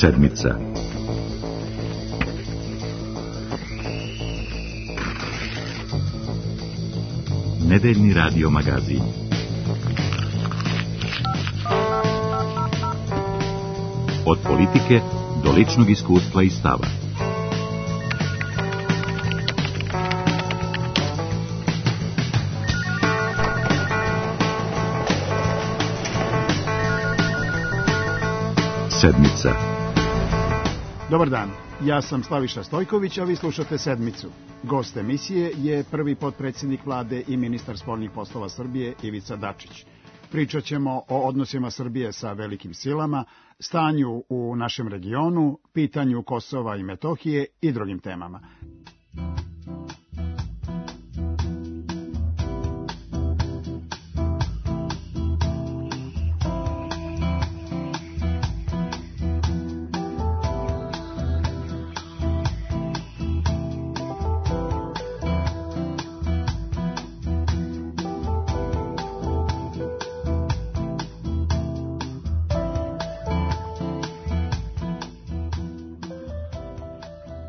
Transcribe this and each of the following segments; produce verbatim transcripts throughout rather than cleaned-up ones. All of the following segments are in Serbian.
Sedmica. Nedeljni radio magazin. Od politike do ličnog iskustva i stava. Sedmica. Dobar dan, ja sam Slaviša Stojković, a vi slušate Sedmicu. Gost emisije je prvi potpredsjednik vlade i ministar spoljnih poslova Srbije Ivica Dačić. Pričat ćemo o odnosima Srbije sa velikim silama, stanju u našem regionu, pitanju Kosova i Metohije i drugim temama.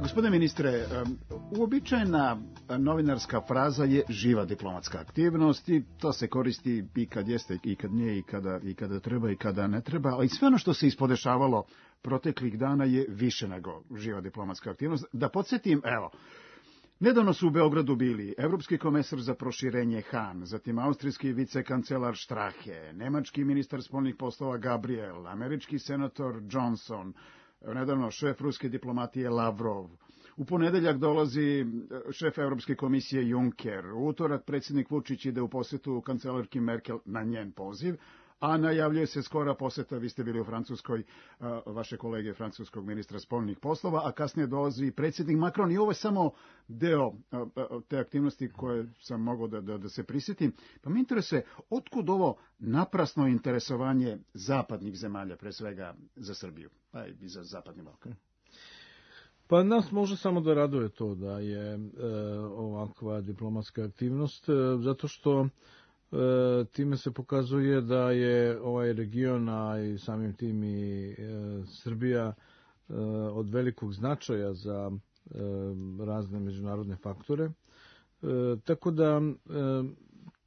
Gospodine ministre, uobičajena novinarska fraza je živa diplomatska aktivnost i to se koristi i kad jeste, i kad nije, i kada, i kada treba, i kada ne treba, ali sve ono što se ispodešavalo proteklih dana je više nego živa diplomatska aktivnost. Da podsjetim, evo, nedavno su u Beogradu bili evropski komesar za proširenje Han, zatim austrijski vicekancelar Strahe, nemački ministar spoljnih poslova Gabriel, američki senator Johnson, nedavno šef ruske diplomatije Lavrov. U ponedeljak dolazi šef Evropske komisije Juncker. U utorak predsjednik Vučić ide u posjetu kancelarki Merkel na njen poziv, a najavljuje se skora posjeta, vi ste bili u Francuskoj, vaše kolege francuskog ministra spoljnih poslova, a kasnije dolazi i predsjednik Macron i ovo je samo deo te aktivnosti koje sam mogao da, da, da se prisjetim. Pa me interesuje, otkud ovo naprasno interesovanje zapadnih zemalja, pre svega za Srbiju, pa i za zapadni Balkan? Pa nas može samo da raduje to da je e, ovakva diplomatska aktivnost, e, zato što E, time se pokazuje da je ovaj region, a i samim tim i e, Srbija e, od velikog značaja za e, razne međunarodne faktore. E, tako da e,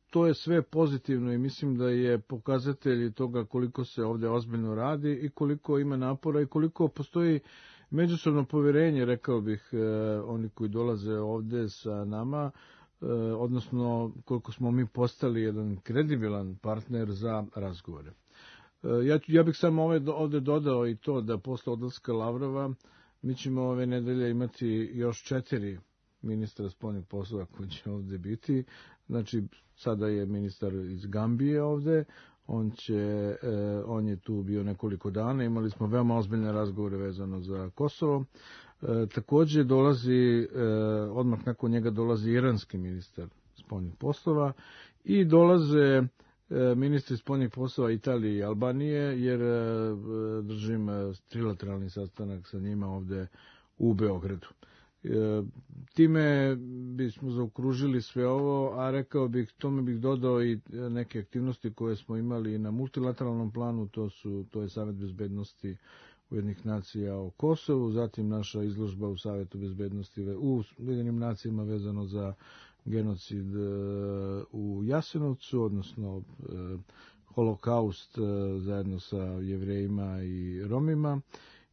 to je sve pozitivno i mislim da je pokazatelj toga koliko se ovdje ozbiljno radi i koliko ima napora i koliko postoji međusobno povjerenje, rekao bih, e, oni koji dolaze ovdje sa nama, odnosno koliko smo mi postali jedan kredibilan partner za razgovore. Ja, ja bih samo ovdje dodao i to da posle odlaska Lavrova mi ćemo ove nedelje imati još četiri ministra spoljnih poslova koji će ovdje biti. Znači, sada je ministar iz Gambije ovdje, on, će, on je tu bio nekoliko dana, imali smo veoma ozbiljne razgovore vezano za Kosovo. E, također dolazi, e, odmah nakon njega dolazi iranski ministar spoljnih poslova i dolaze e, ministri spoljnih poslova Italije i Albanije, jer e, držim trilateralni sastanak sa njima ovdje u Beogradu. E, time bismo zaokružili sve ovo, a rekao bih, tome bih dodao i neke aktivnosti koje smo imali na multilateralnom planu, to, su, to je Savet bezbednosti Ujedinjenih nacija o Kosovu, zatim naša izložba u Savetu bezbednosti u Ujedinjenim nacijama vezano za genocid u Jasenovcu, odnosno holokaust zajedno sa Jevrejima i Romima.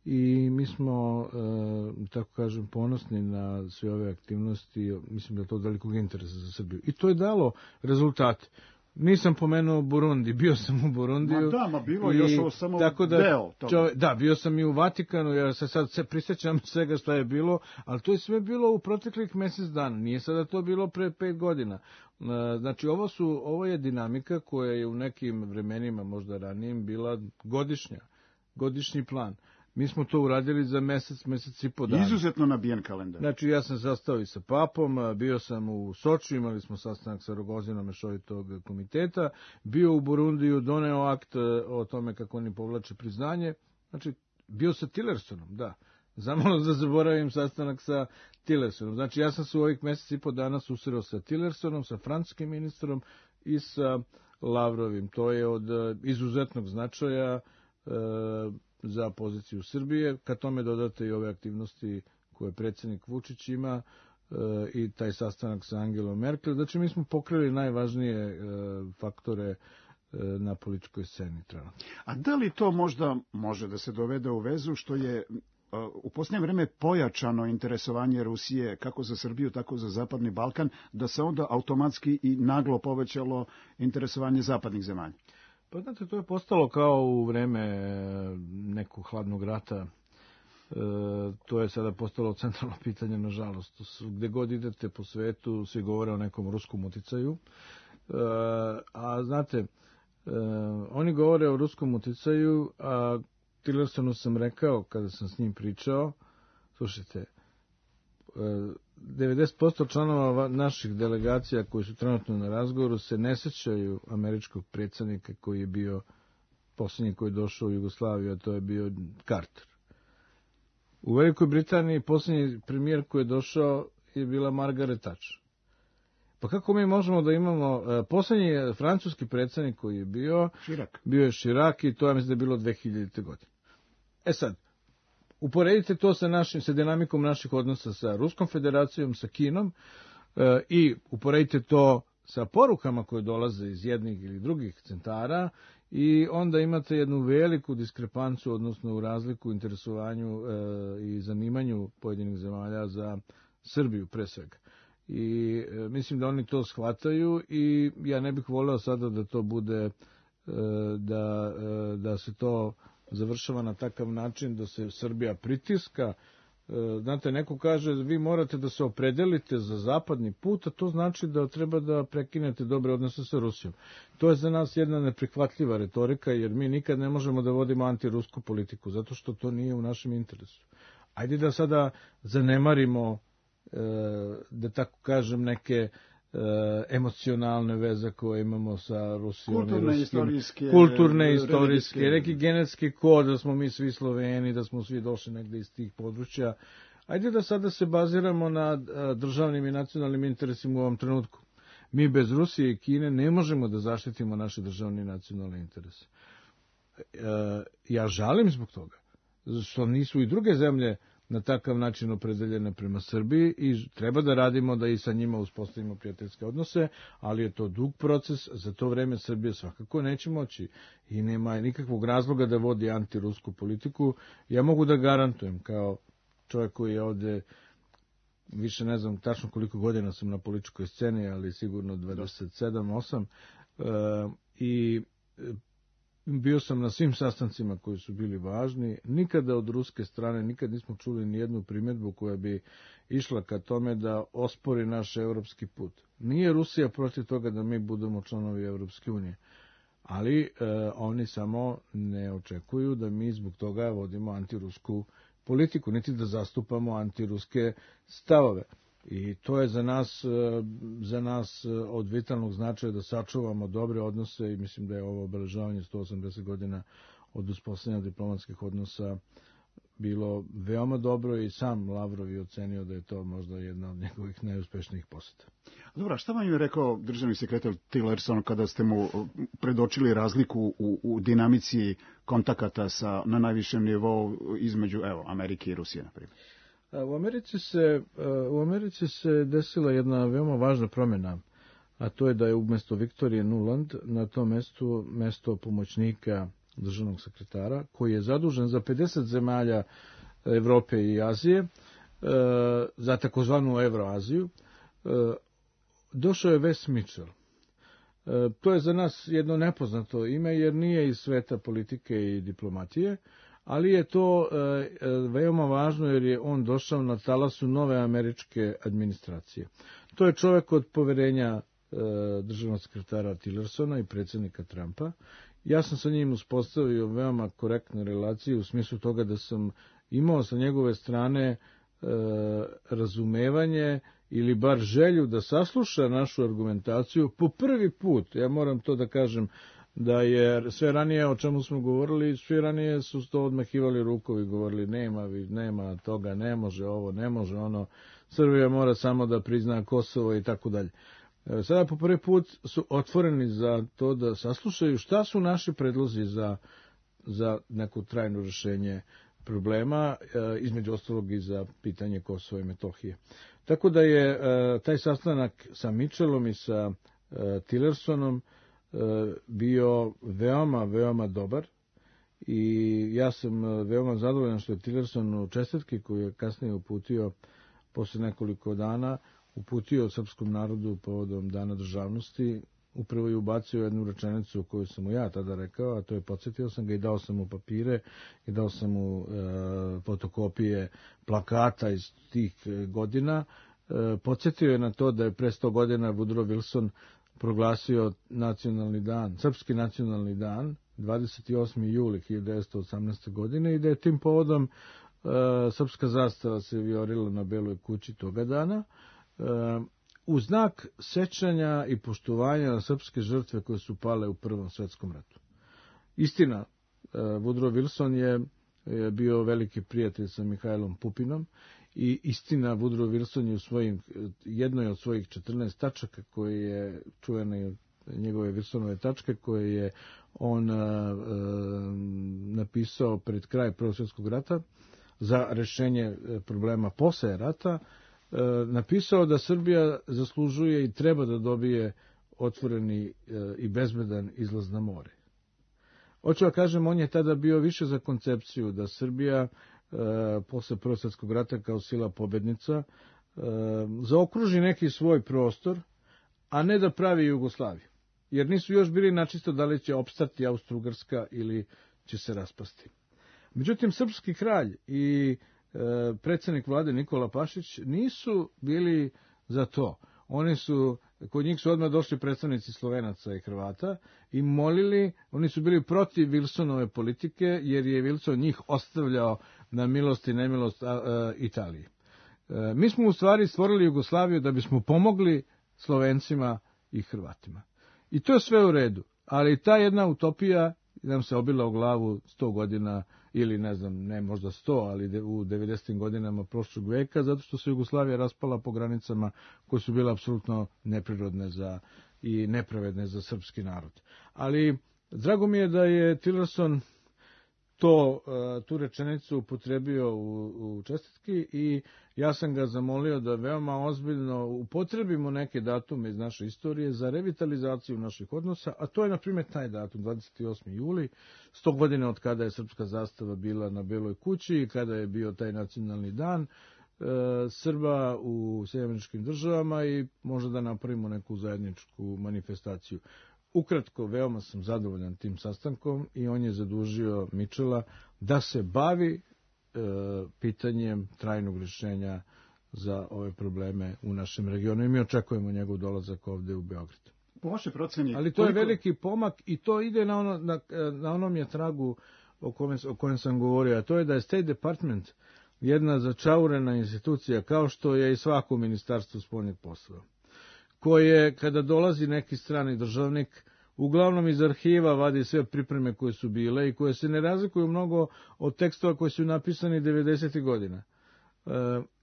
I mi smo, tako kažem, ponosni na sve ove aktivnosti, mislim da je to od velikog interesa za Srbiju. I to je dalo rezultate. Nisam pomenuo Burundi, bio sam u Burundiju. Ma da, ma bilo je još ovo samo tako da, deo toga. Čove, da, bio sam i u Vatikanu, ja se sad se prisjećam svega što je bilo, ali to je sve bilo u proteklih mjesec dana, nije sada to bilo pre pet godina. Znači, ovo, su, ovo je dinamika koja je u nekim vremenima, možda ranijim, bila godišnja, godišnji plan. Mi smo to uradili za mjesec, mjesec i po dana. Izuzetno nabijen kalendar. Znači, ja sam sastao i sa papom, bio sam u Sočiju, imali smo sastanak sa Rogozinom mešovitog komiteta, bio u Burundiju, doneo akt o tome kako oni povlače priznanje. Znači, bio sa Tillersonom, da. Zamalo da zaboravim sastanak sa Tillersonom. Znači, ja sam se u ovih mjesec i po dana susreo sa Tillersonom, sa francuskim ministrom i sa Lavrovim. To je od izuzetnog značaja. za poziciju Srbije. Kad tome dodate i ove aktivnosti koje predsjednik Vučić ima e, i taj sastanak sa Angelom Merkel, znači mi smo pokrili najvažnije e, faktore e, na političkoj sceni trenutno. A da li to možda može da se dovede u vezu što je u posljednje vreme pojačano interesovanje Rusije kako za Srbiju, tako za Zapadni Balkan, da se onda automatski i naglo povećalo interesovanje zapadnih zemalja? Pa znate, to je postalo kao u vreme nekog hladnog rata. E, to je sada postalo centralno pitanje, nažalost. Gde god idete po svetu, svi govore o nekom ruskom uticaju. E, a znate, e, oni govore o ruskom uticaju, a Tillersonu sam rekao, kada sam s njim pričao, slušajte, devedeset posto članova naših delegacija koji su trenutno na razgovoru se ne sećaju američkog predsjednika koji je bio posljednji koji je došao u Jugoslaviju, a to je bio Carter. U Velikoj Britaniji posljednji premijer koji je došao je bila Margaret Thatcher. Pa kako mi možemo da imamo, posljednji francuski predsjednik koji je bio, Širak. bio je Širak i to ja mislim da je bilo dve hiljadite. godine. E sad, uporedite to sa, našim, sa dinamikom naših odnosa sa Ruskom federacijom, sa Kinom e, i uporedite to sa porukama koje dolaze iz jednih ili drugih centara i onda imate jednu veliku diskrepancu, odnosno u razliku u interesovanju e, i zanimanju pojedinih zemalja za Srbiju pre svega. I e, mislim da oni to shvataju i ja ne bih voleo sada da to bude, e, da, e, da se to završava na takav način da se Srbija pritiska. Znate, neko kaže, vi morate da se opredelite za zapadni put, a to znači da treba da prekinete dobre odnose sa Rusijom. To je za nas jedna neprihvatljiva retorika, jer mi nikad ne možemo da vodimo antirusku politiku, zato što to nije u našem interesu. Ajde da sada zanemarimo, da tako kažem, neke emocionalne veze koje imamo sa Rusijom. Kulturne, i istorijske. Kulturne, istorijske, neki genetski kod, da smo mi svi Sloveni, da smo svi došli negde iz tih područja. Ajde da sada se baziramo na državnim i nacionalnim interesima u ovom trenutku. Mi bez Rusije i Kine ne možemo da zaštitimo naše državne i nacionalne interese. Ja žalim zbog toga, što nisu i druge zemlje na takav način opredeljene prema Srbiji i treba da radimo da i sa njima uspostavimo prijateljske odnose, ali je to dug proces, za to vreme Srbija svakako neće moći i nema nikakvog razloga da vodi antirusku politiku. Ja mogu da garantujem, kao čovjek koji je ovde, više ne znam tačno koliko godina sam na političkoj sceni, ali sigurno dvadeset sedam osam, i bio sam na svim sastancima koji su bili važni. Nikada od ruske strane, nikad nismo čuli ni jednu primjedbu koja bi išla ka tome da ospori naš evropski put. Nije Rusija protiv toga da mi budemo članovi Evropske unije, ali e, oni samo ne očekuju da mi zbog toga vodimo antirusku politiku, niti da zastupamo antiruske stavove. I to je za nas, za nas od vitalnog značaja da sačuvamo dobre odnose i mislim da je ovo obeležavanje sto osamdeset godina od uspostavljanja diplomatskih odnosa bilo veoma dobro i sam Lavrov je ocenio da je to možda jedna od njegovih najuspešnijih poseta. Dobro, šta vam je rekao državni sekretar Tillerson kada ste mu predočili razliku u, u dinamici kontakata sa, na najvišem nivou između evo, Amerike i Rusije, na primjer? U Americi se, u Americi se desila jedna veoma važna promjena, a to je da je umjesto Viktorije Nuland na tom mestu mesto pomoćnika državnog sekretara, koji je zadužen za pedeset zemalja Evrope i Azije, za takozvanu Evroaziju, došao je Wes Mitchell. To je za nas jedno nepoznato ime, jer nije iz sveta politike i diplomatije, ali je to e, veoma važno jer je on došao na talasu nove američke administracije. To je čovjek od poverenja e, državnog sekretara Tillersona i predsjednika Trumpa. Ja sam sa njim uspostavio veoma korektne relacije u smislu toga da sam imao sa njegove strane e, razumevanje ili bar želju da sasluša našu argumentaciju po prvi put. Ja moram to da kažem, da je sve ranije o čemu smo govorili, sve ranije su to odmahivali rukovi, govorili nema, nema toga, ne može ovo, ne može ono, Srbija mora samo da prizna Kosovo i tako dalje. Sada po prvi put su otvoreni za to da saslušaju šta su naši predlozi za za neko trajno rešenje problema, između ostalog i za pitanje Kosova i Metohije. Tako da je taj sastanak sa Mitchellom i sa Tillersonom bio veoma, veoma dobar i ja sam veoma zadovoljan što je Tillerson u čestitki koju je kasnije uputio posle nekoliko dana, uputio srpskom narodu povodom Dana državnosti, upravo je ubacio jednu rečenicu koju sam mu ja tada rekao, a to je podsjetio sam ga i dao sam mu papire i dao sam mu e, fotokopije plakata iz tih godina. E, podsjetio je na to da je pre sto godina Woodrow Wilson proglasio nacionalni dan, srpski nacionalni dan, dvadeset osmi juli hiljadu devetsto osamnaeste. godine i da je tim povodom e, srpska zastava se vijorila na Beloj kući toga dana. E, u znak sećanja i poštovanja na srpske žrtve koje su pale u Prvom svetskom ratu. Istina, Woodrow Wilson je bio veliki prijatelj sa Mihajlom Pupinom i istina, Woodrow Wilson je u svojim, jednoj od svojih četrnaest tačaka koje je čuvene njegove Wilsonove tačke koje je on a, a, napisao pred kraj Prvog svjetskog rata za rešenje problema posle rata, napisao da Srbija zaslužuje i treba da dobije otvoreni i bezbedan izlaz na more. Hoću da kažem, on je tada bio više za koncepciju da Srbija posle Prvog svjetskog rata kao sila pobednica zaokruži neki svoj prostor, a ne da pravi Jugoslaviju. Jer nisu još bili načisto da li će opstati Austro-Ugarska ili će se raspasti. Međutim, srpski kralj i predsjednik vlade Nikola Pašić nisu bili za to. Oni su, kod njih su odmah došli predstavnici Slovenaca i Hrvata i molili, oni su bili protiv Wilsonove politike jer je Wilson njih ostavljao na milost i nemilost a, a, Italiji. E, mi smo u stvari stvorili Jugoslaviju da bismo pomogli Slovencima i Hrvatima. I to je sve u redu, ali ta jedna utopija nam se obila u glavu sto godina ili ne znam, ne možda sto, ali u devedesetim godinama prošlog veka, zato što se Jugoslavija raspala po granicama koje su bile apsolutno neprirodne za, i nepravedne za srpski narod. Ali drago mi je da je Tillerson to, tu rečenicu upotrebio u, u čestitki i ja sam ga zamolio da veoma ozbiljno upotrebimo neke datume iz naše istorije za revitalizaciju naših odnosa, a to je na primjer taj datum, dvadeset osmi juli, sto godina od kada je srpska zastava bila na Beloj kući i kada je bio taj nacionalni dan e, Srba u Sjedinjenim Američkim Državama i možda da napravimo neku zajedničku manifestaciju. Ukratko, veoma sam zadovoljan tim sastankom i on je zadužio Mitchella da se bavi e, pitanjem trajnog rješenja za ove probleme u našem regionu i mi očekujemo njegov dolazak ovde u Beograd. Po vašoj proceni... Ali to koliko... je veliki pomak i to ide na, ono, na, na onom je tragu o kojem, o kojem sam govorio, a to je da je State Department jedna začaurena institucija kao što je i svako ministarstvo spoljnih poslova, koje, kada dolazi neki strani državnik, uglavnom iz arhiva vadi sve pripreme koje su bile i koje se ne razlikuju mnogo od tekstova koji su napisani devedesetih godina. E,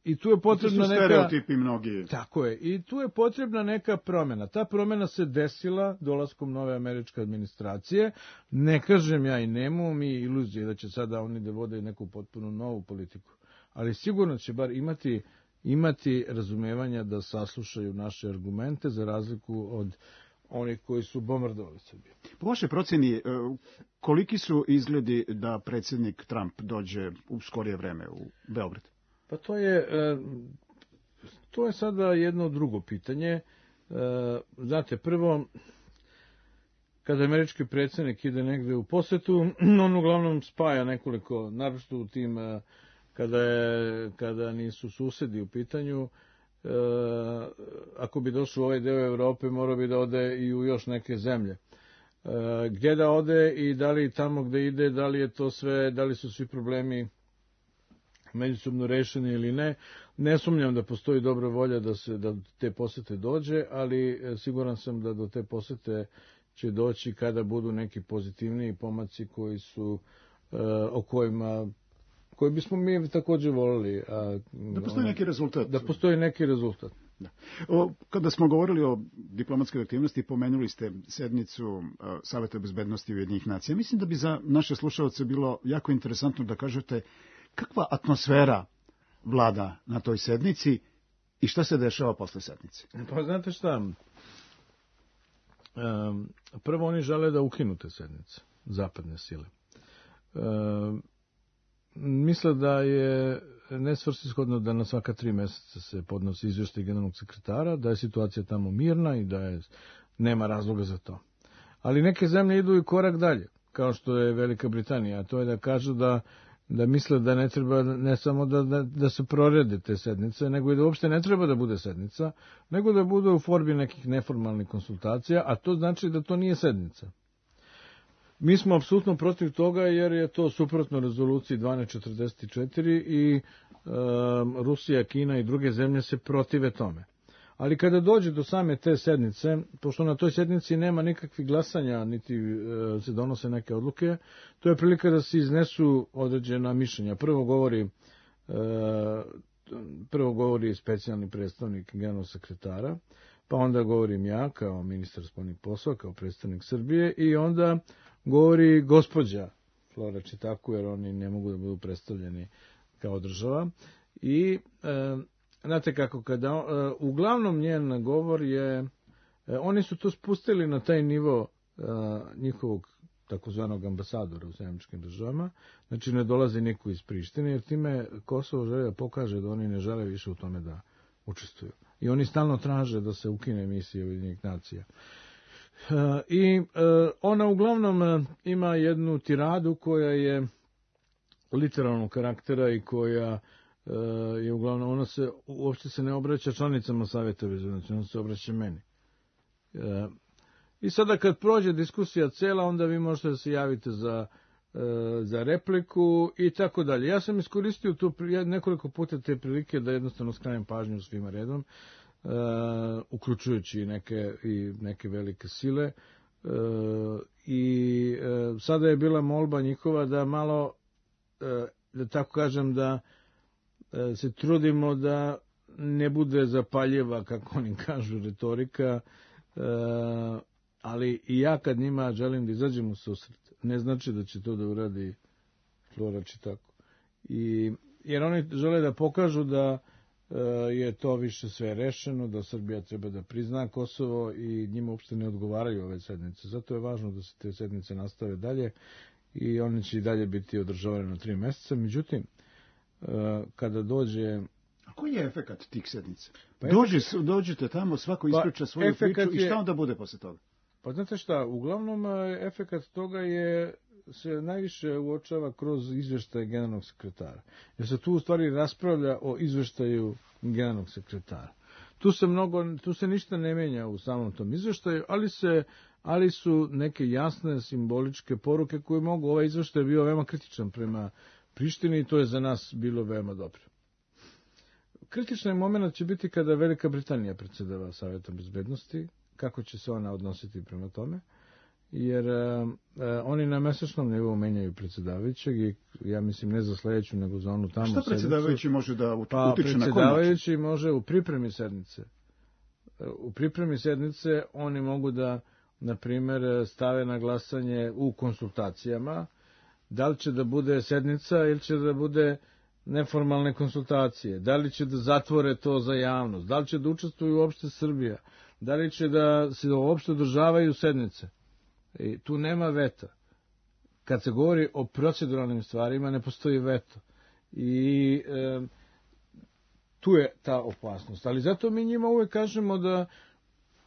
I tu je potrebna neka... stereotipi mnogi. Tako je. I tu je potrebna neka promjena. Ta promjena se desila dolaskom nove američke administracije. Ne kažem ja i nemamo mi iluzije da će sada oni da vode neku potpuno novu politiku. Ali sigurno će bar imati imati razumevanja da saslušaju naše argumente za razliku od onih koji su bombardovali Srbiju. Po vašoj procjeni, koliki su izgledi da predsjednik Trump dođe u skorije vreme u Beograd? Pa to je, to je sada jedno drugo pitanje. Znate, prvo, kada američki predsjednik ide negde u posetu, on uglavnom spaja nekoliko, naročito u tim kada, je, kada nisu susedi u pitanju, e, ako bi došao u ovaj deo Evrope, morao bi da ode i u još neke zemlje. E, gdje da ode i da li tamo gde ide, da li je to sve, da li su svi problemi međusobno rešeni ili ne. Ne sumnjam da postoji dobra volja da se da te posete dođe, ali siguran sam da do te posete će doći kada budu neki pozitivniji pomaci koji su e, o kojima koji bismo mi također volili. A, da postoji neki rezultat. Da postoji neki rezultat. Da. O, kada smo govorili o diplomatskoj aktivnosti, pomenuli ste sednicu uh, Saveta bezbednosti Ujedinjenih nacija. Mislim da bi za naše slušalce bilo jako interesantno da kažete kakva atmosfera vlada na toj sednici i šta se dešava posle sednice. Pa znate šta, um, prvo oni žele da ukinu te sednice, zapadne sile. Um, misle da je nesvrsishodno da na svaka tri meseca se podnosi izvještaj generalnog sekretara, da je situacija tamo mirna i da je, nema razloga za to. Ali neke zemlje idu i korak dalje, kao što je Velika Britanija, a to je da kažu da, da misle da ne treba ne samo da, da, da se prorede te sednice, nego i da uopšte ne treba da bude sednica, nego da bude u formi nekih neformalnih konsultacija, a to znači da to nije sednica. Mi smo apsolutno protiv toga jer je to suprotno rezoluciji dvanaest četrdeset četiri i e, Rusija, Kina i druge zemlje se protive tome. Ali kada dođe do same te sednice, pošto na toj sednici nema nikakvih glasanja, niti e, se donose neke odluke, to je prilika da se iznesu određena mišljenja. Prvo govori, e, prvo govori specijalni predstavnik generalnog sekretara, pa onda govorim ja kao ministar spoljnih poslova, kao predstavnik Srbije i onda govori gospođa Flora Čitaku, jer oni ne mogu da budu predstavljeni kao država. I e, znate kako, kada, e, uglavnom njen govor je, e, oni su to spustili na taj nivo e, njihovog takozvanog ambasadora u Sjedinjenim državama, znači ne dolazi niko iz Prištine, jer time Kosovo želi da pokaže da oni ne žele više u tome da učestvuju. I oni stalno traže da se ukine emisija Ujedinjenih nacija. I ona uglavnom ima jednu tiradu koja je literalnog karaktera i koja je uglavnom, ona se uopšte se ne obraća članicama Saveta bezbednosti, ona se obraća meni. I sada kad prođe diskusija cela, onda vi možete da se javite za, za repliku i tako dalje. Ja sam iskoristio tu nekoliko puta te prilike da jednostavno skrenem pažnju svima redom, Uh, uključujući neke, i neke velike sile. Uh, I uh, sada je bila molba njihova da malo, uh, da tako kažem, da uh, se trudimo da ne bude zapaljeva, kako oni kažu, retorika, uh, ali i ja kad njima želim da izađem u susret, ne znači da će to da uradi Flora Čitaku. I, jer oni žele da pokažu da je to više sve rešeno, da Srbija treba da prizna Kosovo i njima uopšte ne odgovaraju ove sednice. Zato je važno da se te sednice nastave dalje i one će i dalje biti održavane na tri meseca. Međutim, kada dođe... A koji je efekat tih sednica? Pa Dođi, efekat... Dođete tamo, svako ispriča svoju pa priču je... i šta onda bude posle toga? Pa znate šta, uglavnom efekat toga je se najviše uočava kroz izveštaje generalnog sekretara. Jer se tu u stvari raspravlja o izveštaju generalnog sekretara. Tu se mnogo, tu se ništa ne menja u samom tom izveštaju, ali se, ali su neke jasne simboličke poruke koje mogu, ovaj izveštaj je bio veoma kritičan prema Prištini i to je za nas bilo veoma dobro. Kritični moment će biti kada Velika Britanija predsjedava Savetom bezbednosti, kako će se ona odnositi prema tome. Jer uh, oni na mesečnom nivou menjaju predsjedavajućeg i ja mislim ne za sledeću nego za onu tamo sednicu. Šta predsjedavajući može da utiče pa, na koji način? Predsjedavajući može u pripremi sednice. U pripremi sednice oni mogu da, na primjer, stave na glasanje u konsultacijama da li će da bude sednica ili će da bude neformalne konsultacije, da li će da zatvore to za javnost, da li će da učestvuju uopšte Srbija, da li će da se uopšte održavaju sednice. I tu nema veta. Kad se govori o proceduralnim stvarima, ne postoji veto. I e, tu je ta opasnost. Ali zato mi njima uvek kažemo da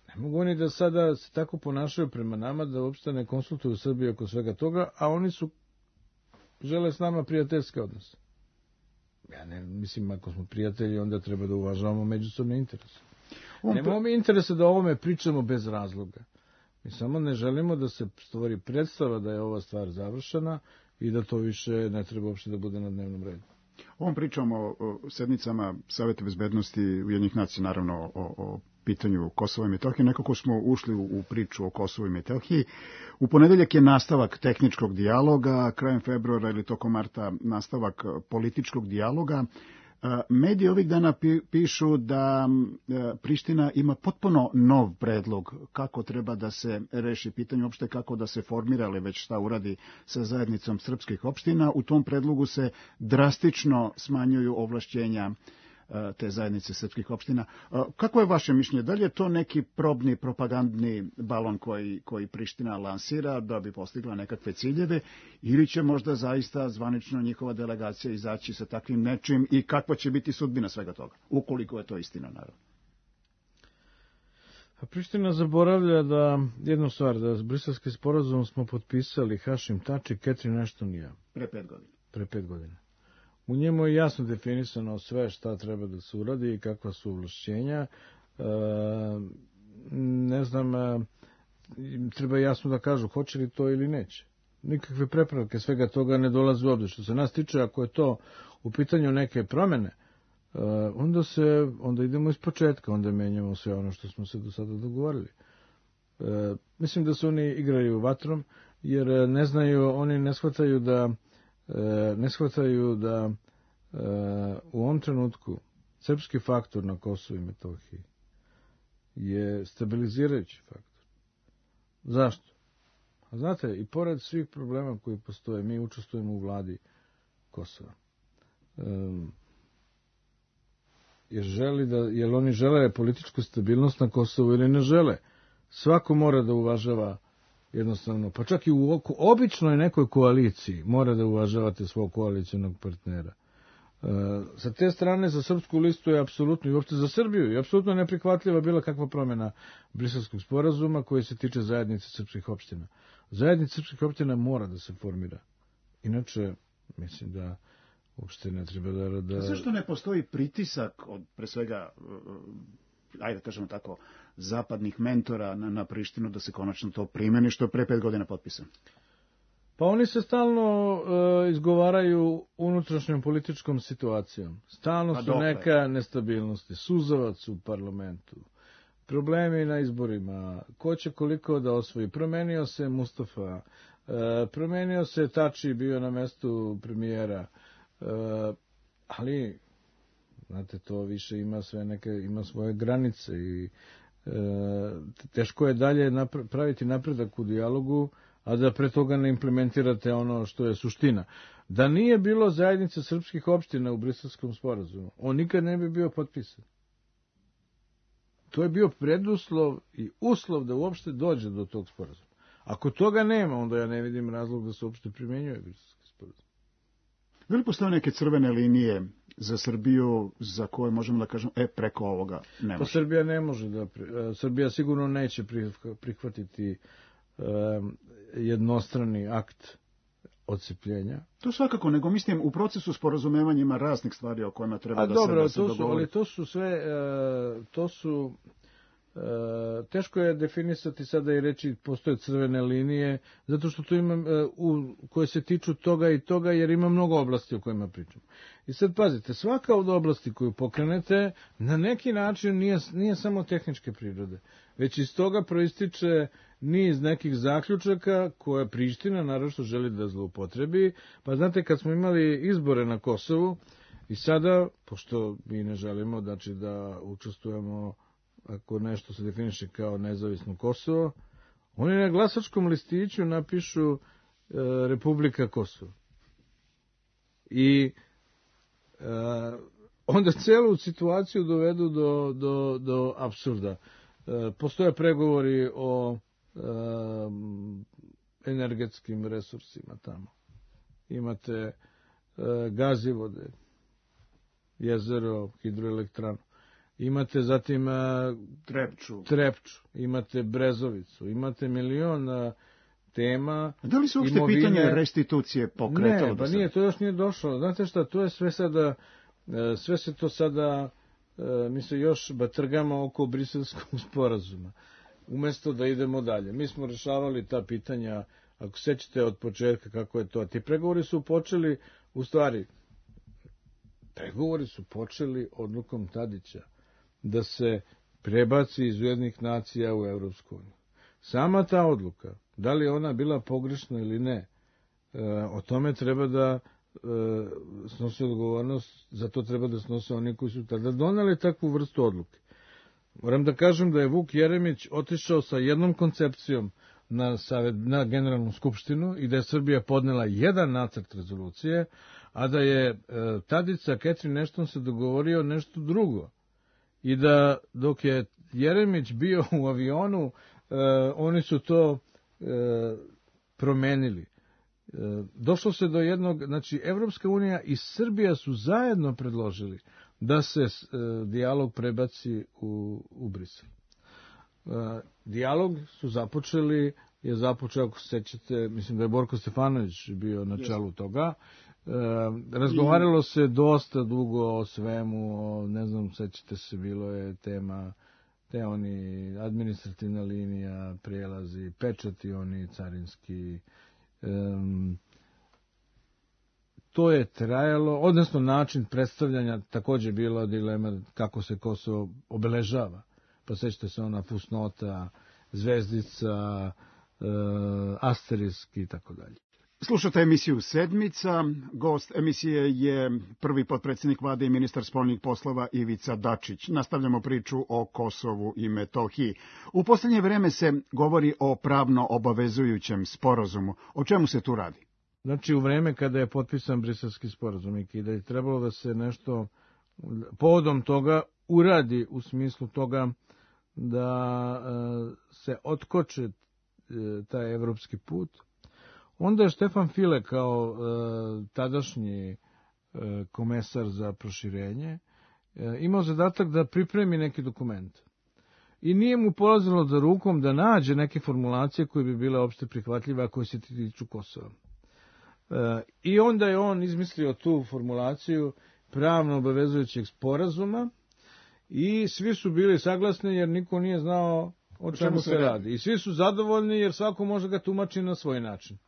ne mogu oni da sada se tako ponašaju prema nama, da uopšte ne konsultuju Srbiju oko svega toga, a oni su žele s nama prijateljske odnose. Ja ne mislim, ako smo prijatelji, onda treba da uvažavamo međusobne interese. Nemamo mi interese da o ovome pričamo bez razloga. Mi samo ne želimo da se stvori predstava da je ova stvar završena i da to više ne treba uopšte da bude na dnevnom redu. Ovom pričamo o sednicama Saveta bezbednosti Ujedinjenih nacija, naravno o, o pitanju Kosova i Metohije. Nekako smo ušli u, u priču o Kosovu i Metohiji. U ponedeljak je nastavak tehničkog dijaloga, krajem februara ili tokom marta nastavak političkog dijaloga. Mediji ovih dana pišu da Priština ima potpuno nov predlog kako treba da se reši pitanje, uopšte kako da se formira, ali već šta uradi sa zajednicom srpskih opština. U tom predlogu se drastično smanjuju ovlašćenja te zajednice srpskih opština. Kako je vaše mišljenje? Da li je to neki probni propagandni balon koji, koji Priština lansira da bi postigla nekakve ciljeve, ili će možda zaista zvanično njihova delegacija izaći sa takvim nečim i kakva će biti sudbina svega toga, ukoliko je to istina, naravno? A Priština zaboravlja da jednu stvar, da s Briselskim sporazumom smo potpisali Hašim Tači, Ketrin Ashton. Pre pet godina. Pre pet godina. U njemu je jasno definisano sve šta treba da se uradi i kakva su ovlašćenja. E, ne znam, e, treba jasno da kažu hoće li to ili neće. Nikakve prepravke svega toga ne dolaze u obzir. Što se nas tiče, ako je to u pitanju neke promene, e, onda, se, onda idemo iz početka, onda menjamo sve ono što smo se do sada dogovorili. E, mislim da se oni igraju vatrom, jer ne znaju, oni ne shvataju da ne shvataju da u ovom trenutku srpski faktor na Kosovu i Metohiji je stabilizirajući faktor. Zašto? A znate, i pored svih problema koji postoje, mi učestvujemo u vladi Kosova. Um, jer, želi da, jer oni žele političku stabilnost na Kosovu ili ne žele. Svako mora da uvažava jednostavno, pa čak i u običnoj nekoj koaliciji mora da uvažavate svog koalicijnog partnera. E, sa te strane za srpsku listu je apsolutno i uopšte za Srbiju je apsolutno neprihvatljiva bila kakva promjena Briselskog sporazuma koji se tiče zajednice srpskih opština. Zajednica srpskih opština mora da se formira. Inače, mislim da uopšte ne treba da... da... Zašto ne postoji pritisak od, pre svega, ajde da kažemo tako, zapadnih mentora na, na Prištinu da se konačno to primeni što je pre pet godina potpisano? Pa oni se stalno uh, izgovaraju unutrašnjom političkom situacijom. Stalno pa su dokle? Neka nestabilnosti, suzavac u parlamentu, problemi na izborima, ko će koliko da osvoji. Promenio se Mustafa, uh, promenio se Tači, bio na mestu premijera, uh, ali znate, to više ima sve neke, ima svoje granice i e, teško je dalje napra- praviti napredak u dijalogu, a da pre toga ne implementirate ono što je suština. Da nije bilo zajednice srpskih opština u Briselskom sporazumu, on nikad ne bi bio potpisan. To je bio preduslov i uslov da uopšte dođe do tog sporazuma. Ako toga nema, onda ja ne vidim razlog da se uopšte primenjuje Briselski sporazum. Da li postoje neke crvene linije za Srbiju za koje možemo da kažemo, e, preko ovoga ne može? Pa Srbija ne može da... Srbija sigurno neće prihvatiti um, jednostrani akt odcepljenja. To svakako, nego mislim u procesu sporazumevanja ima raznih stvari o kojima treba A da, dobro, se, da se to su, ali to su sve, uh, to su, uh, teško je definisati sada i reći postoje crvene linije, zato što tu ima, uh, u, koje se tiču toga i toga, jer ima mnogo oblasti o kojima pričamo. I sad pazite, svaka od oblasti koju pokrenete, na neki način nije, nije samo tehničke prirode, već iz toga proističe niz nekih zaključaka koje Priština naravno želi da zloupotrebi. Pa znate, kad smo imali izbore na Kosovu i sada, pošto mi ne želimo znači, da učestvujemo ako nešto se definiše kao nezavisno Kosovo, oni na glasačkom listiću napišu e, Republika Kosovo. I e, onda celu situaciju dovedu do, do, do apsurda. E, postoje pregovori o Um, energetskim resursima tamo. Imate uh, gazivode, jezero, hidroelektranu. Imate zatim uh, Trepču. Trepču, imate Brezovicu, imate milion uh, tema. A da li se uopšte imovine... pitanje restitucije pokretalo? Ne, pa nije, to još nije došlo. Znate šta, to je sve sada, uh, sve se to sada, uh, mi se još batrgamo oko Briselskog sporazuma. Umesto da idemo dalje. Mi smo rešavali ta pitanja, ako sećate od početka kako je to. Ti pregovori su počeli, u stvari, pregovori su počeli odlukom Tadića da se prebaci iz Ujedinjenih nacija u Evropsku uniju. Sama ta odluka, da li je ona bila pogrešna ili ne, o tome treba da snosi odgovornost, za to treba da snose oni koji su tada doneli takvu vrstu odluke. Moram da kažem da je Vuk Jeremić otišao sa jednom koncepcijom na, savjet, na Generalnu skupštinu i da je Srbija podnela jedan nacrt rezolucije, a da je e, Tadić sa Catherine Ashton se dogovorio nešto drugo. I da dok je Jeremić bio u avionu, e, oni su to e, promenili. E, došlo se do jednog, znači Evropska unija i Srbija su zajedno predložili da se e, dijalog prebaci u, u Brisel. E, dijalog su započeli, je započeo, ako se sećate, mislim da je Borko Stefanović bio na čelu toga. E, razgovaralo se dosta dugo o svemu, o, ne znam, sećate se, bilo je tema, te oni administrativna linija, prijelazi, pečati oni carinski. E, to je trajalo, odnosno način predstavljanja, takođe bila dilema kako se Kosovo obeležava. Pa sećate se ona fusnota, zvezdica, e, asterisk i tako dalje. Slušate emisiju Sedmica. Gost emisije je prvi potpredsjednik vlade i ministar spoljnih poslova Ivica Dačić. Nastavljamo priču o Kosovu i Metohiji. U poslednje vreme se govori o pravno obavezujućem sporazumu. O čemu se tu radi? Znači, u vreme kada je potpisan Briselski sporazum i kada je trebalo da se nešto povodom toga uradi u smislu toga da e, se otkoče e, taj evropski put, onda je Štefan File kao e, tadašnji e, komesar za proširenje e, imao zadatak da pripremi neki dokument. I nije mu polazilo za rukom da nađe neke formulacije koje bi bile opšte prihvatljive, a koje se tiču Kosova. E, I onda je on izmislio tu formulaciju pravno obavezujućeg sporazuma i svi su bili saglasni jer niko nije znao o čemu se radi. I svi su zadovoljni jer svako može ga tumači na svoj način.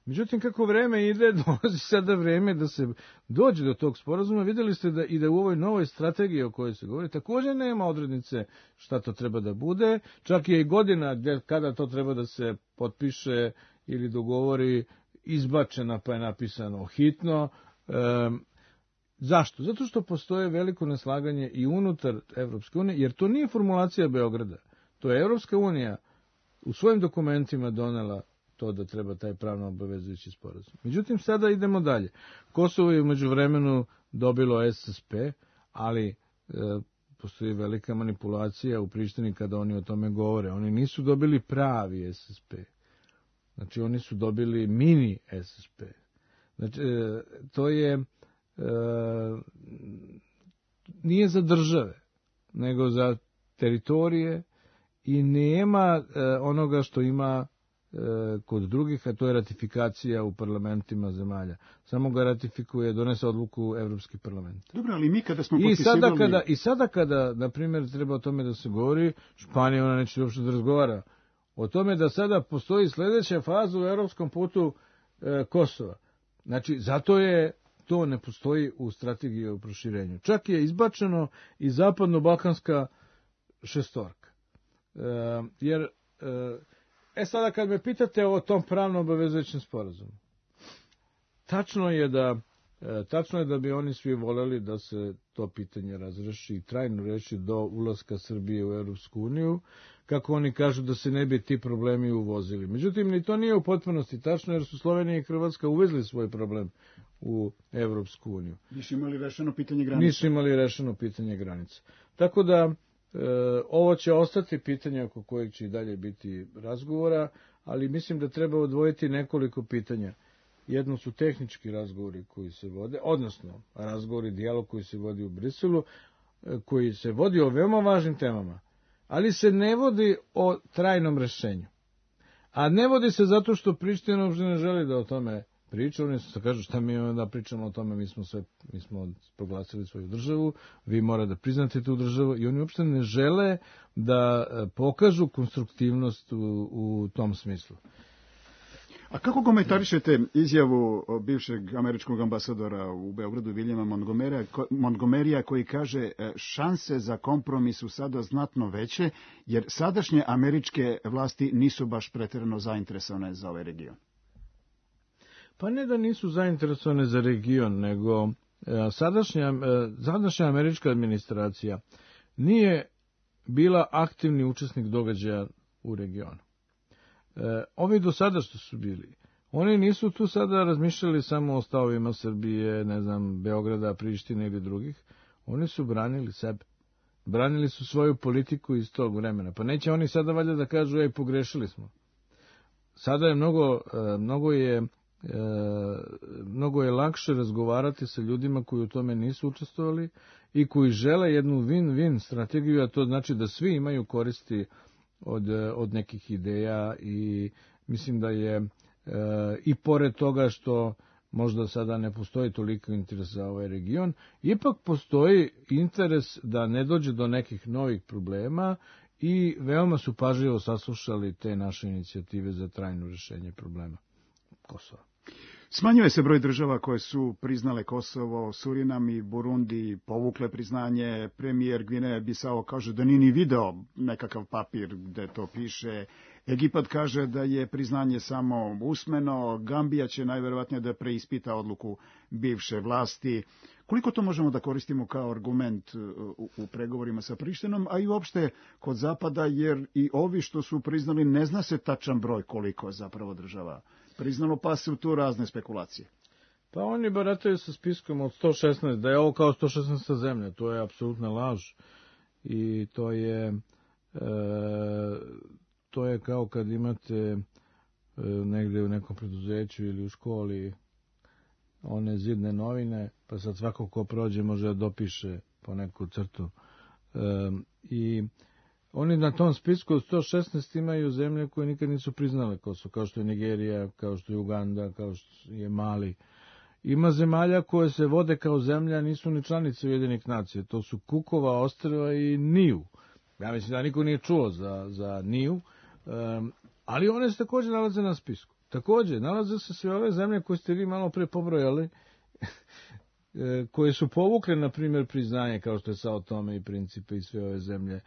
Međutim, kako vreme ide, dolazi sada vreme da se dođe do tog sporazuma. Vidjeli ste da i da u ovoj novoj strategiji o kojoj se govori također nema odrednice šta to treba da bude. Čak je i godina kada to treba da se potpiše ili dogovori izbačena, pa je napisano hitno. E, zašto? Zato što postoje veliko neslaganje i unutar Evropske unije, jer to nije formulacija Beograda. To je Evropska unija u svojim dokumentima donela to da treba taj pravno obavezujući sporazum. Međutim, sada idemo dalje. Kosovo je umeđu vremenu dobilo S S P, ali e, postoji velika manipulacija u Prištini kada oni o tome govore. Oni nisu dobili pravi S S P. Znači, oni su dobili mini S S P. Znači, e, to je e, nije za države, nego za teritorije i nema e, onoga što ima kod drugih, a to je ratifikacija u parlamentima zemalja. Samo ga ratifikuje, donese odluku Evropski parlament. Dobro, ali mi kada smo I sada kada, i sada kada, na primjer, treba o tome da se govori, Španija ona neće uopšte da razgovara o tome da sada postoji sljedeća faza u evropskom putu e, Kosova. Znači, zato je to ne postoji u strategiji o proširenju. Čak je izbačeno i zapadno-balkanska šestorka. E, jer e, E sada kad me pitate o tom pravno obavezujućem sporazumu, tačno je da e, tačno je da bi oni svi voljeli da se to pitanje razreši i trajno reši do ulaska Srbije u Evropsku uniju, kako oni kažu da se ne bi ti problemi uvozili. Međutim, ni to nije u potpunosti tačno, jer su Slovenija i Hrvatska uvezli svoj problem u Evropsku uniju. Nisu imali rešeno pitanje granica. Nisu imali rešeno pitanje granica. Tako da E, ovo će ostati pitanje oko kojeg će i dalje biti razgovora, ali mislim da treba odvojiti nekoliko pitanja. Jedno su tehnički razgovori koji se vode, odnosno razgovori, dijalog koji se vodi u Briselu, koji se vodi o veoma važnim temama, ali se ne vodi o trajnom rešenju. A ne vodi se zato što Priština uopšte ne želi da o tome priča, oni se kažu šta mi onda pričamo o tome, mi smo sve, mi smo proglasili svoju državu, vi morate da priznate tu državu i oni uopšte ne žele da pokažu konstruktivnost u, u tom smislu. A kako komentarišete izjavu bivšeg američkog ambasadora u Beogradu, Viljama Montgomerya, Montgomerya koji kaže šanse za kompromis su sada znatno veće, jer sadašnje američke vlasti nisu baš pretjerano zainteresovane za ovaj region? Pa ne da nisu zainteresovane za region, nego sadašnja, sadašnja američka administracija nije bila aktivni učesnik događaja u regionu. Ovi do sada što su bili, oni nisu tu sada razmišljali samo o stavovima Srbije, ne znam, Beograda, Prištine ili drugih. Oni su branili sebe. Branili su svoju politiku iz tog vremena. Pa neće oni sada valjda da kažu, ej, pogrešili smo. Sada je mnogo, mnogo je, mnogo je lakše razgovarati sa ljudima koji u tome nisu učestvovali i koji žele jednu win-win strategiju, a to znači da svi imaju koristi od, od nekih ideja i mislim da je e, i pored toga što možda sada ne postoji toliko interes za ovaj region, ipak postoji interes da ne dođe do nekih novih problema i veoma su pažljivo saslušali te naše inicijative za trajno rješenje problema Kosova. Smanjuje se broj država koje su priznale Kosovo, Surinam i Burundi povukle priznanje. Premijer Gvineje Bisao kaže da nije ni video nekakav papir gde to piše. Egipat kaže da je priznanje samo usmeno. Gambija će najverovatnije da preispita odluku bivše vlasti. Koliko to možemo da koristimo kao argument u, u pregovorima sa Prištinom, a i uopšte kod Zapada, jer i ovi što su priznali ne zna se tačan broj koliko je zapravo država priznalo, pa su tu razne spekulacije. Pa oni barataju sa spiskom od sto šesnaest, da je ovo kao sto šesnaesta zemlja, to je apsolutna laž. I to je, e, to je kao kad imate e, negde u nekom preduzeću ili u školi one zidne novine, pa sad svako ko prođe može da dopiše po neku crtu. E, I oni na tom spisku od sto šesnaest imaju zemlje koje nikad nisu priznale Kosovo, kao što je Nigerija, kao što je Uganda, kao što je Mali. Ima zemalja koje se vode kao zemlja, nisu ni članice Ujedinjenih nacija. To su Kukova ostrva i Niju. Ja mislim da niko nije čuo za, za Niju, um, ali one se također nalaze na spisku. Također, nalaze se sve ove zemlje koje ste vi malo pre pobrojali, koje su povukle, na primjer, priznanje, kao što je Sao Tome i Principe i sve ove zemlje.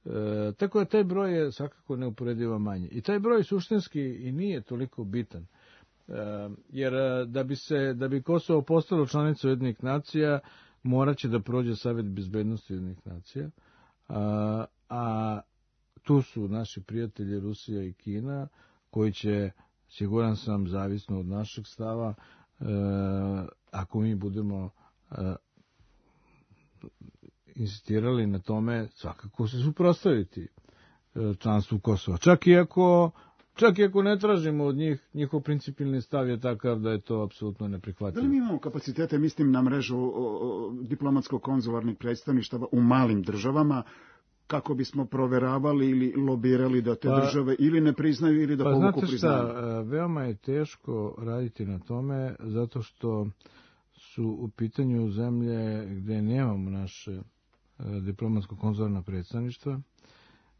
E, tako da taj broj je svakako neuporedivo manji. I taj broj suštinski i nije toliko bitan. E, jer da bi, se, da bi Kosovo postalo članica Ujedinjenih nacija, morat će da prođe Savet bezbednosti Ujedinjenih nacija. A, a tu su naši prijatelji Rusija i Kina, koji će, siguran sam, zavisno od našeg stava, e, ako mi budemo e, insistirali na tome, svakako se suprotstaviti članstvu Kosova. Čak i ako, čak i ako ne tražimo od njih, njihov principijelni stav je takav da je to apsolutno neprihvatljivo. Da li mi imamo kapacitete, mislim, na mrežu diplomatsko-konzularnih predstavništava u malim državama, kako bismo proveravali ili lobirali da te pa, države ili ne priznaju ili da pa povuku priznanje? Pa znate šta, veoma je teško raditi na tome, zato što su u pitanju zemlje gde nemamo naše diplomatsko-konzularna predstavništva.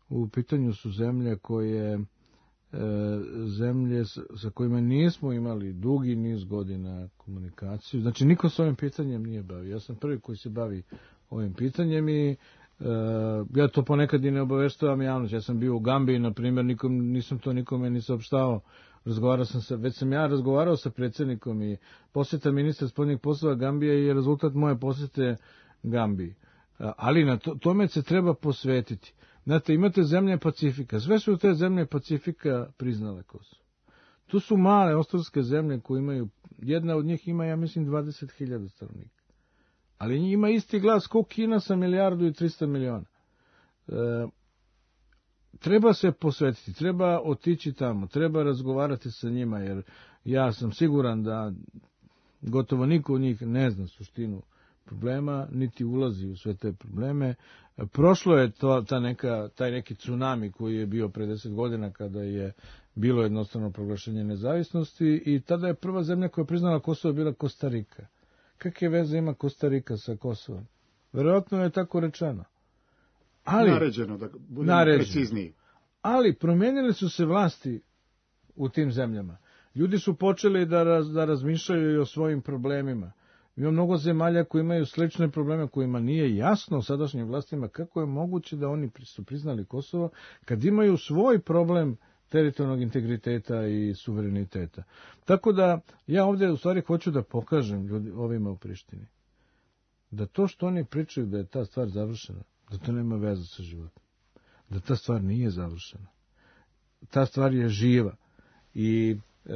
U pitanju su zemlje koje zemlje sa kojima nismo imali dugi niz godina komunikaciju. Znači, niko s ovim pitanjem nije bavio. Ja sam prvi koji se bavi ovim pitanjem i ja to ponekad i ne obaveštavam javnost. Ja sam bio u Gambiji, na primjer, nikom, nisam to nikome ni saopštavao. Razgovarao sam sa, već sam ja razgovarao sa predsjednikom i posjeta ministra spoljnih poslova Gambije je rezultat moje posjete Gambiji. Ali na to, tome se treba posvetiti. Znate, imate zemlje Pacifika. Sve su te zemlje Pacifika priznale Kosovo. Tu su male ostrvske zemlje koje imaju, jedna od njih ima, ja mislim, dvadeset hiljada stanovnika. Ali ima isti glas kao Kina sa milijardu i trista miliona. E, treba se posvetiti, treba otići tamo, treba razgovarati sa njima, jer ja sam siguran da gotovo niko od njih ne zna suštinu problema, niti ulazi u sve te probleme. Prošlo je to, ta neka, taj neki tsunami koji je bio pre deset godina kada je bilo jednostavno proglašenje nezavisnosti i tada je prva zemlja koja je priznala Kosovo bila Kostarika. Kakve veze ima Kostarika sa Kosovom? Verovatno je tako rečeno. Ali, naređeno, da budemo naređeno. Precizniji. Ali promenili su se vlasti u tim zemljama. Ljudi su počeli da, raz, da razmišljaju i o svojim problemima. Ima mnogo zemalja koji imaju slične probleme kojima nije jasno sadašnjim vlastima kako je moguće da oni su priznali Kosovo kad imaju svoj problem teritorijalnog integriteta i suvereniteta. Tako da ja ovdje u stvari hoću da pokažem ljudi, ovima u Prištini da to što oni pričaju da je ta stvar završena, da to nema veze sa životom, da ta stvar nije završena. Ta stvar je živa i e,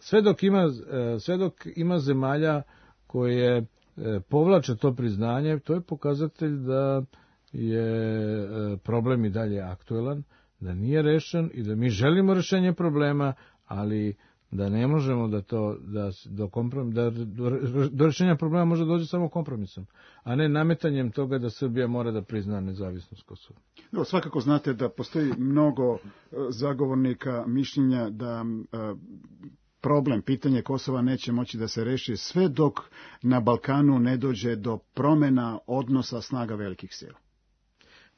sve dok ima, e, sve dok ima zemalja koje e, povlače to priznanje, to je pokazatelj da je e, problem i dalje aktuelan, da nije rešen i da mi želimo rešenje problema, ali da ne možemo da to da do komprom da do, do rešenja problema može doći samo kompromisom, a ne nametanjem toga da Srbija mora da prizna nezavisnost Kosova. No, svakako znate da postoji mnogo zagovornika mišljenja da problem, pitanje Kosova neće moći da se reši sve dok na Balkanu ne dođe do promena odnosa snaga velikih sila.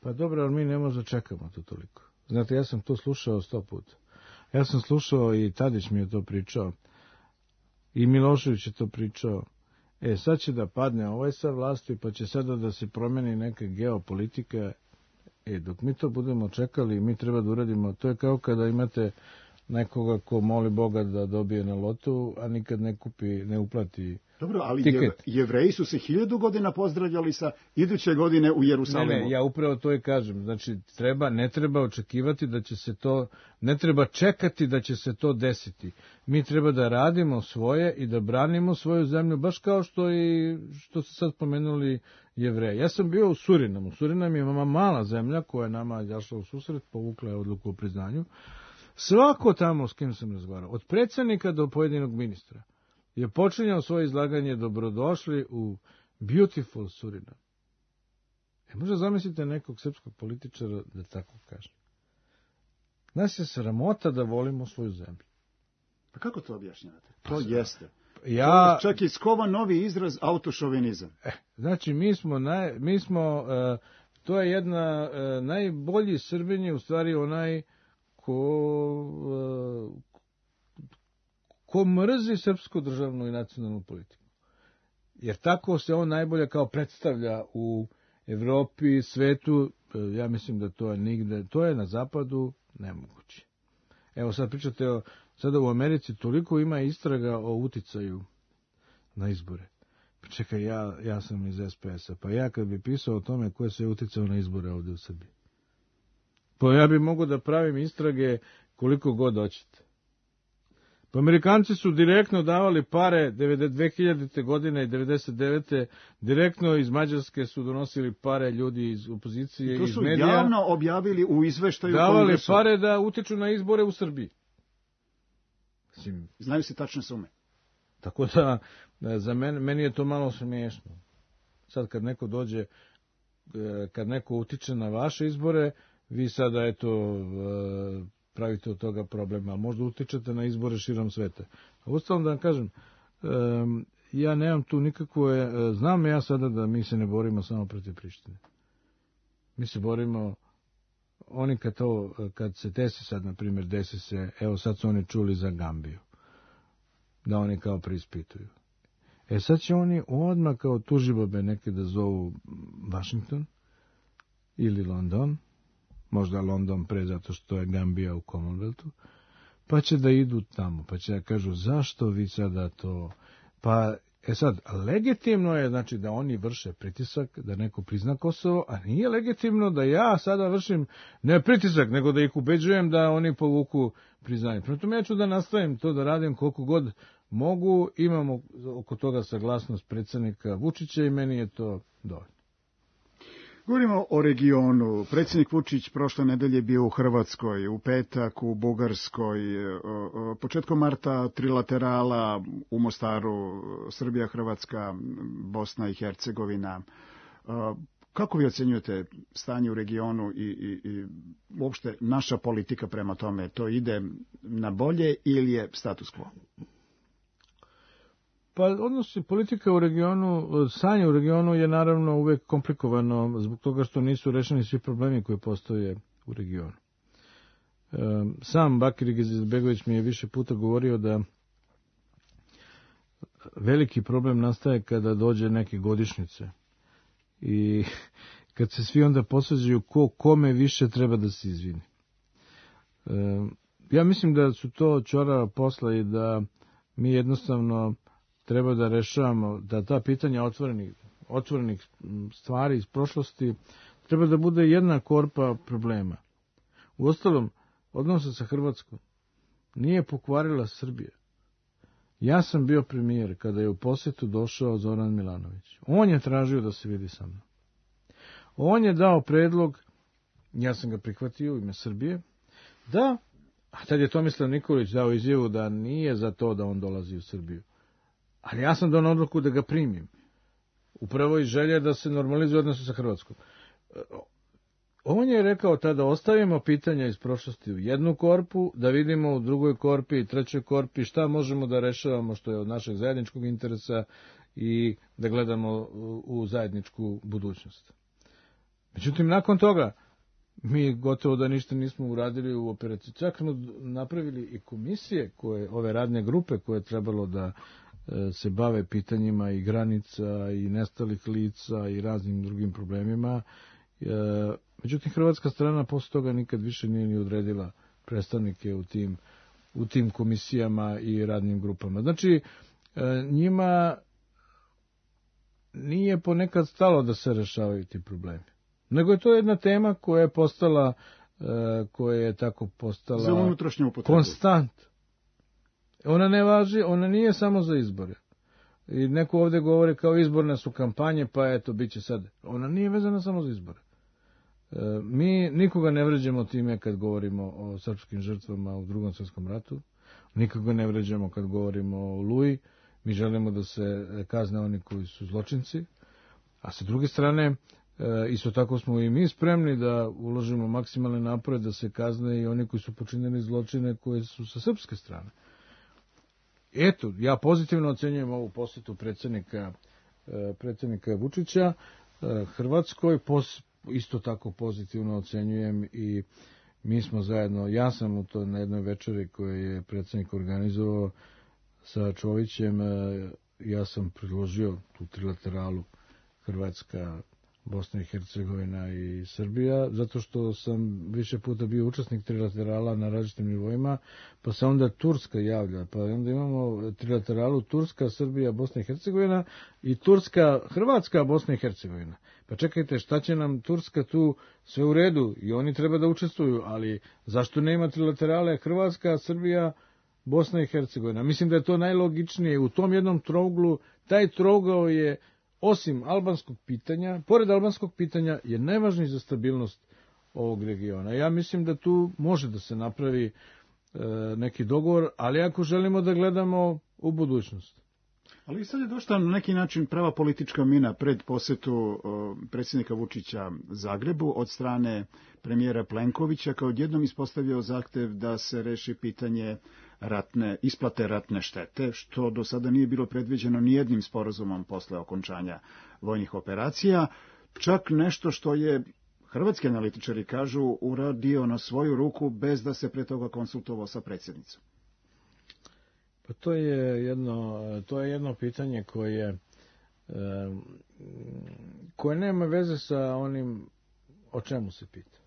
Pa dobro, ali mi ne možemo čekamo to toliko. Znate, ja sam to slušao sto puta. Ja sam slušao i Tadić mi je to pričao. I Milošević je to pričao. E, sad će da padne ovaj sa vlasti, pa će sada da se promeni neka geopolitika. E, dok mi to budemo čekali, mi treba da uradimo. To je kao kada imate nekoga ko moli Boga da dobije na lotu, a nikad ne kupi, ne uplati Dobro, ali tiket. Jevreji su se hiljadu godina pozdravljali sa iduće godine u Jerusalimu. Ne, ne, ja upravo to i kažem. Znači, treba, ne treba očekivati da će se to, ne treba čekati da će se to desiti. Mi treba da radimo svoje i da branimo svoju zemlju, baš kao što i što ste sad pomenuli Jevreje. Ja sam bio u Surinamu. Surinam je mala zemlja koja je nama izašla u susret, povukla je odluku o priznanju. Svako tamo s kim sam razgovarao, od predsjednika do pojedinog ministra, je počinjao svoje izlaganje dobrodošli u beautiful Surinam. E, možda zamislite nekog srpskog političara da tako kaže. Nas je sramota da volimo svoju zemlju. Pa kako to objašnjavate? To Pa, jeste. Ja, to čak i skova novi izraz autošovinizam. Eh, znači, mi smo, naj, mi smo uh, to je jedna, uh, najbolji Srbin je u stvari onaj ko, uh, ko mrzi srpsku državnu i nacionalnu politiku. Jer tako se on najbolje kao predstavlja u Evropi, svetu, ja mislim da to je nigde, to je na zapadu nemoguće. Evo sad pričate o, sada u Americi toliko ima istraga o uticaju na izbore. Pa čekaj, ja, ja sam iz es pe es a, pa ja kad bi pisao o tome ko je sve uticao na izbore ovdje u Srbiji. Pa ja bi mogao da pravim istrage koliko god hoćete. Pa Amerikanci su direktno davali pare dve hiljadite godine i devedeset devete direktno iz Mađarske su donosili pare ljudi iz opozicije, iz medija. To su javno objavili u izveštaju davali Kongresu. Pare da utiču na izbore u Srbiji. Mislim, znaju se tačne sume. Tako da, za mene, meni je to malo smiješno. Sad kad neko dođe, kad neko utiče na vaše izbore, vi sada, eto, pravite od toga problema, ali možda utičete na izbore širom sveta. A uostalom da vam kažem, ja nemam tu nikakve, znam ja sada da mi se ne borimo samo protiv Prištine. Mi se borimo, oni kad to, kad se desi sad, na primjer, desi se, evo sad su oni čuli za Gambiju, da oni kao preispituju. E sad će oni odmah kao tužibabe neke da zovu Washington ili London, možda London pre zato što je Gambija u Commonwealthu, pa će da idu tamo, pa će da kažu zašto vi sada to, pa e sad, legitimno je znači da oni vrše pritisak, da neko prizna Kosovo, a nije legitimno da ja sada vršim ne pritisak, nego da ih ubeđujem da oni povuku priznanje. Prema tome ja ću da nastavim to da radim koliko god mogu, imamo oko toga saglasnost predsjednika Vučića i meni je to dovoljno. Govorimo o regionu. Predsjednik Vučić prošle nedelje bio u Hrvatskoj, u petak u Bugarskoj, početkom marta trilaterala u Mostaru, Srbija, Hrvatska, Bosna i Hercegovina. Kako vi ocjenjujete stanje u regionu i, i, i uopšte naša politika prema tome? To ide na bolje ili je status quo? Pa odnosi politika u regionu, stanje u regionu je naravno uvek komplikovano zbog toga što nisu rešeni svi problemi koji postoje u regionu. Sam Bakir Izetbegović mi je više puta govorio da veliki problem nastaje kada dođe neke godišnjice i kad se svi onda posvađaju ko kome više treba da se izvini. ja mislim da su to ćorava posla i da mi jednostavno treba da rešavamo, da ta pitanja otvorenih, otvorenih stvari iz prošlosti treba da bude jedna korpa problema. Uostalom, odnose sa Hrvatskom nije pokvarila Srbija. Ja sam bio premijer kada je u posjetu došao Zoran Milanović. On je tražio da se vidi sa mnom. On je dao predlog, ja sam ga prihvatio u ime Srbije, da, a tad je Tomislav Nikolić dao izjavu da nije za to da on dolazi u Srbiju. Ali ja sam dao odluku da ga primim. Upravo iz želje da se normalizuje odnose sa Hrvatskom. On je rekao tada, ostavimo pitanja iz prošlosti u jednu korpu, da vidimo u drugoj korpi i trećoj korpi šta možemo da rešavamo što je od našeg zajedničkog interesa i da gledamo u zajedničku budućnost. Međutim, nakon toga, mi gotovo da ništa nismo uradili u operaciji. Čak smo napravili i komisije, koje, ove radne grupe koje je trebalo da e, se bave pitanjima i granica i nestalih lica i raznim drugim problemima. E, međutim, hrvatska strana posle toga nikad više nije ni odredila predstavnike u tim, u tim komisijama i radnim grupama. Znači, e, njima nije ponekad stalo da se rešavaju ti problemi. Nego je to jedna tema koja je postala, koja je tako postala za unutrašnju upotrebu. Konstant. Ona ne važi, ona nije samo za izbore. I neko ovdje govori kao izborne su kampanje, pa eto, bit će sad. Ona nije vezana samo za izbore. Mi nikoga ne vređamo time kad govorimo o srpskim žrtvama u Drugom svjetskom ratu. Nikoga ne vređamo kad govorimo o Oluji. Mi želimo da se kazne oni koji su zločinci. A sa druge strane, isto tako smo i mi spremni da uložimo maksimalne napore da se kazne i oni koji su počinili zločine koje su sa srpske strane. Eto, ja pozitivno ocenjujem ovu posjetu predsjednika, predsjednika Vučića Hrvatskoj, isto tako pozitivno ocenjujem i mi smo zajedno, ja sam u to na jednoj večeri koju je predsjednik organizovao sa Čovićem, ja sam predložio tu trilateralu Hrvatska, Bosna i Hercegovina i Srbija, zato što sam više puta bio učesnik trilaterala na različitim nivoima, pa se onda Turska javlja, pa onda imamo trilateralu Turska, Srbija, Bosna i Hercegovina i Turska, Hrvatska, Bosna i Hercegovina. Pa čekajte, šta će nam Turska tu, sve u redu i oni treba da učestvuju, ali zašto nema trilaterale Hrvatska, Srbija, Bosna i Hercegovina? Mislim da je to najlogičnije. U tom jednom trouglu, taj trougao je osim albanskog pitanja, pored albanskog pitanja, je najvažniji za stabilnost ovog regiona. Ja mislim da tu može da se napravi e, neki dogovor, ali ako želimo da gledamo u budućnost. Ali sad je došla na neki način prava politička mina pred posjetu o, predsjednika Vučića Zagrebu od strane premijera Plenkovića, kao odjednom ispostavio zahtev da se reši pitanje ratne, isplate ratne štete, što do sada nije bilo predviđeno nijednim sporazumom posle okončanja vojnih operacija, čak nešto što je, hrvatski analitičari kažu, uradio na svoju ruku bez da se pre toga konsultovao sa predsjednicom. Pa to je jedno, to je jedno pitanje koje, koje nema veze sa onim o čemu se pita.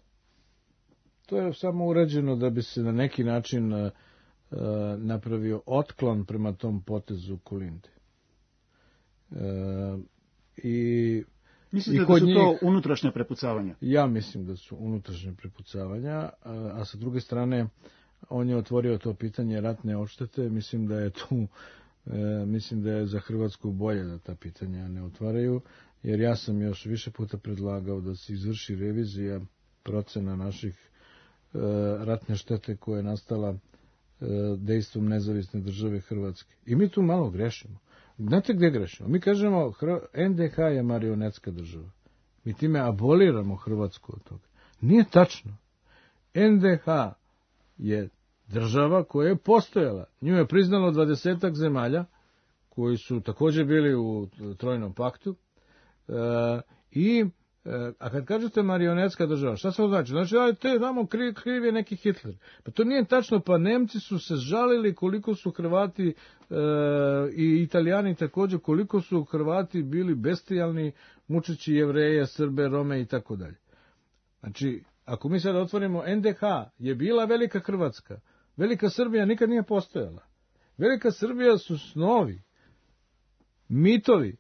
To je samo urađeno da bi se na neki način napravio otklon prema tom potezu Kolinde. I Mislite da su njih, to unutrašnja prepucavanja? Ja mislim da su unutrašnja prepucavanja, a, a sa druge strane on je otvorio to pitanje ratne odštete. Mislim da je tu, e, mislim da je za Hrvatsku bolje da ta pitanja ne otvaraju, jer ja sam još više puta predlagao da se izvrši revizija procena naših e, ratne štete koja je nastala e, dejstvom nezavisne države Hrvatske. I mi tu malo grešimo. Znate gdje grešimo? Mi kažemo en de ha je marionetska država. Mi time aboliramo Hrvatsku od toga. Nije tačno. en de ha je država koja je postojala. Nju je priznalo dvadesetak zemalja koji su također bili u Trojnom paktu. E, I a kad kažete marionetska država, šta se to znači? Znači, da te tamo kriv, kriv je neki Hitler. Pa to nije tačno, pa Nemci su se žalili koliko su Hrvati e, i Italijani također, koliko su Hrvati bili bestijalni, mučeći Jevreje, Srbe, Rome i tako dalje. Znači, ako mi sad otvorimo, en de ha je bila velika Hrvatska, Velika Srbija nikad nije postojala. Velika Srbija su snovi, mitovi,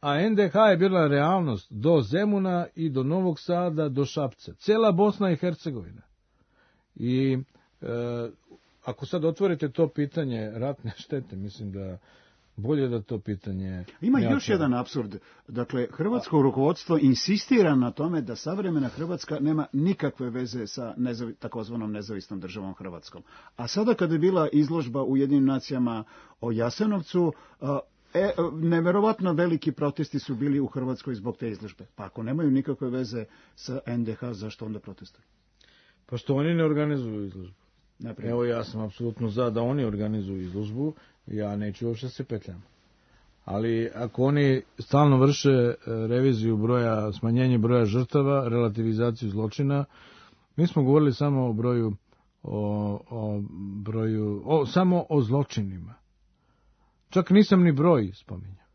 a en de ha je bila realnost do Zemuna i do Novog Sada, do Šapca. Cela Bosna i Hercegovina. I e, ako sad otvorite to pitanje ratne štete, mislim da bolje da to pitanje... Ima još jedan apsurd. Dakle, hrvatsko rukovodstvo insistira na tome da savremena Hrvatska nema nikakve veze sa nezavi, takozvanom nezavisnom državom Hrvatskom. A sada kada je bila izložba u Ujedinjenim nacijama o Jasenovcu, e, neverovatno veliki protesti su bili u Hrvatskoj zbog te izložbe. Pa ako nemaju nikakve veze sa en de ha, zašto onda protestuju? Pa što oni ne organizuju izložbu. Naprijed. Evo, ja sam apsolutno za da oni organizuju izložbu, ja neću uopšte se petljam. Ali ako oni stalno vrše reviziju broja, smanjenje broja žrtava, relativizaciju zločina, mi smo govorili samo o broju, o, o broju, o, samo o zločinima. Čak nisam ni broj spominjao.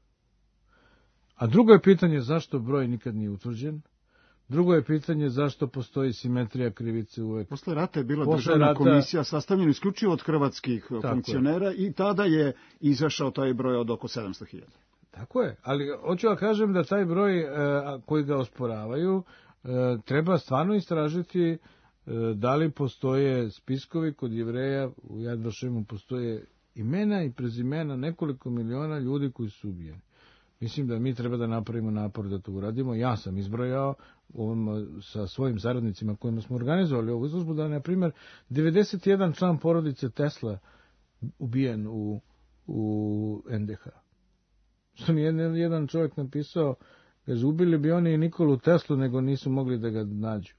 A drugo je pitanje zašto broj nikad nije utvrđen. Drugo je pitanje zašto postoji simetrija krivice uvek. Posle rata je bila Posle državna rata... komisija sastavljena isključivo od hrvatskih Tako funkcionera je. I tada je izašao taj broj od oko sedamsto hiljada. Tako je, ali hoću da kažem da taj broj e, koji ga osporavaju e, treba stvarno istražiti e, da li postoje spiskovi kod Jevreja, u Jad Vašemu postoje imena i prezimena nekoliko miliona ljudi koji su ubijeni. Mislim da mi treba da napravimo napor da to uradimo. Ja sam izbrojao ovom, sa svojim saradnicima kojima smo organizovali ovu izložbu da je, na primjer, devedeset jedan član porodice Tesla ubijen u, u en de ha. Što nije jedan čovjek napisao, kaže, ubili bi oni i Nikolu Teslu, nego nisu mogli da ga nađu.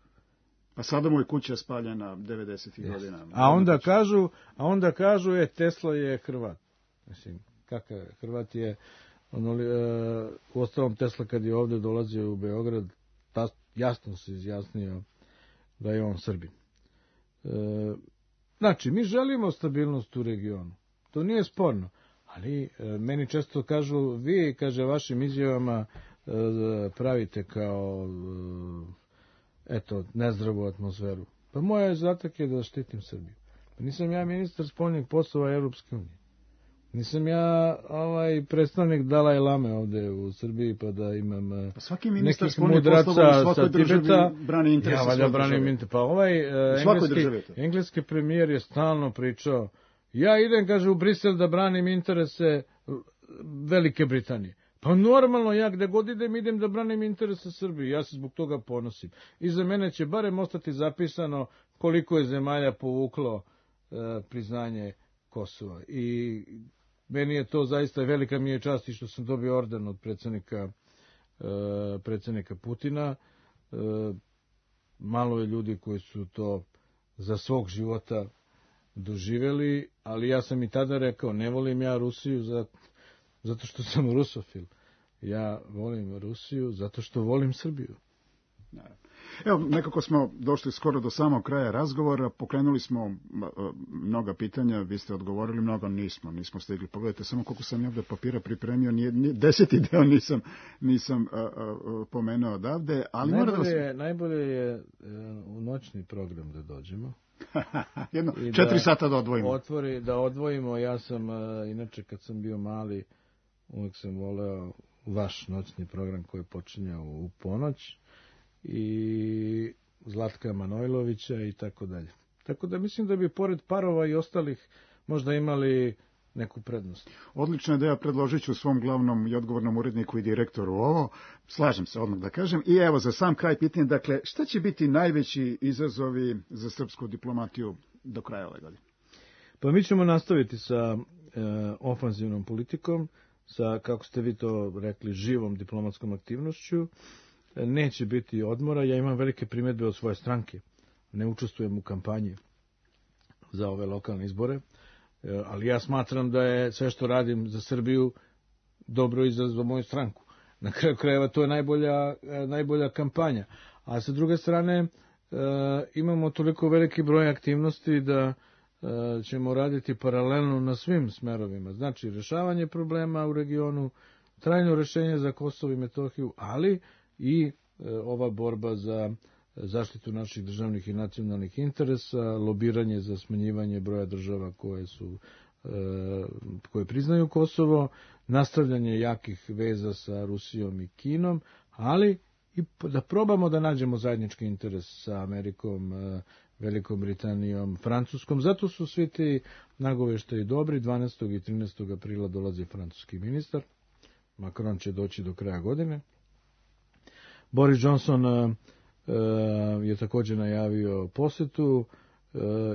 A sada mu je kuća spaljena devedesetih yes. godina. A onda kažu, a onda kažu, je, Tesla je Hrvat. Mislim, kakav je? Hrvat je... Ono, e, u ostalom Tesla kad je ovdje dolazio u Beograd, ta, jasno se izjasnio da je on Srbin. E, znači, mi želimo stabilnost u regionu. To nije sporno. Ali e, meni često kažu, vi, kaže, vašim izjavama e, pravite kao e, eto, nezdravu atmosferu. Pa moja zadatak je da štitim Srbiju. Pa nisam ja ministar spoljnih poslova Europske unije. Nisam ja ovaj predstavnik Dalaj Lame ovde u Srbiji, pa da imam pa svaki ministar nekih mudraca sa Tibeta. Brani interese ja valjda branim interese. Pa ovaj engleski, engleski premijer je stalno pričao, ja idem, kaže, u Brisel da branim interese Velike Britanije. Pa normalno, ja gde god idem, idem da branim interese Srbije. Ja se zbog toga ponosim. I za mene će barem ostati zapisano koliko je zemalja povuklo e, priznanje Kosova. I meni je to zaista velika mi je čast i što sam dobio orden od predsjednika, e, predsjednika Putina. E, malo je ljudi koji su to za svog života doživjeli, ali ja sam i tada rekao, ne volim ja Rusiju za, zato što sam rusofil. Ja volim Rusiju zato što volim Srbiju. Evo, nekako smo došli skoro do samog kraja razgovora, pokrenuli smo mnoga pitanja, vi ste odgovorili, mnogo nismo, nismo stigli. Pogledajte samo koliko sam ja ovdje papira pripremio, nije, nije, deseti deo nisam, nisam a, a, pomenuo odavde, ali najbolje, mora da vas... je, najbolje je u noćni program da dođemo. Jedno, četiri da sata da odvojimo. Otvori, da odvojimo, ja sam, a, inače kad sam bio mali, uvijek sam voleo vaš noćni program koji je počinjao u ponoć, i Zlatka Manojlovića i tako dalje. Tako da mislim da bi pored parova i ostalih možda imali neku prednost. Odlična ideja, predložit ću svom glavnom i odgovornom uredniku i direktoru ovo. Slažem se odmah da kažem. I evo za sam kraj pitanje, dakle, šta će biti najveći izazovi za srpsku diplomatiju do kraja ove godine? Pa mi ćemo nastaviti sa e, ofanzivnom politikom, sa, kako ste vi to rekli, živom diplomatskom aktivnošću. Neće biti odmora, ja imam velike primjedbe od svoje stranke. Ne učestvujem u kampanji za ove lokalne izbore, ali ja smatram da je sve što radim za Srbiju dobro i za, za moju stranku. Na kraju krajeva to je najbolja, najbolja kampanja. A sa druge strane imamo toliko veliki broj aktivnosti da ćemo raditi paralelno na svim smerovima. Znači, rešavanje problema u regionu, trajno rešenje za Kosovo i Metohiju, ali i e, ova borba za zaštitu naših državnih i nacionalnih interesa, lobiranje za smanjivanje broja država koje su koje priznaju Kosovo, nastavljanje jakih veza sa Rusijom i Kinom, ali i da probamo da nađemo zajednički interes sa Amerikom, Velikom Britanijom, Francuskom. Zato su svi ti nagoveštaji dobri. dvanaestog i trinaestog aprila dolazi francuski ministar. Macron će doći do kraja godine. Boris Johnson je također najavio posetu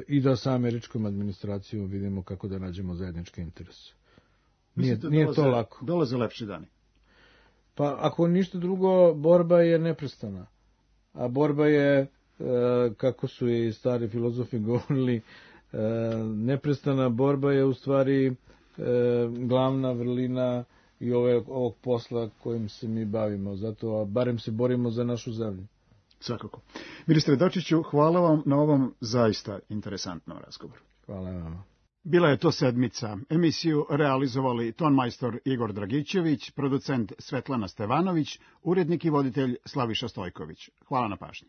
i da sa američkom administracijom vidimo kako da nađemo zajednički interes. Nije, nije dolaze, to lako. Dolaze lepši dani. Pa ako ništa drugo, borba je neprestana. A borba je, kako su i stari filozofi govorili, neprestana borba je u stvari glavna vrlina i ove, ovog posla kojim se mi bavimo. Zato, a barem se borimo za našu zemlju. Svakako. Ministre Dačiću, hvala vam na ovom zaista interesantnom razgovoru. Hvala vam. Bila je to sedmica. Emisiju realizovali tonmajstor Igor Dragićević, producent Svetlana Stevanović, urednik i voditelj Slaviša Stojković. Hvala na pažnji.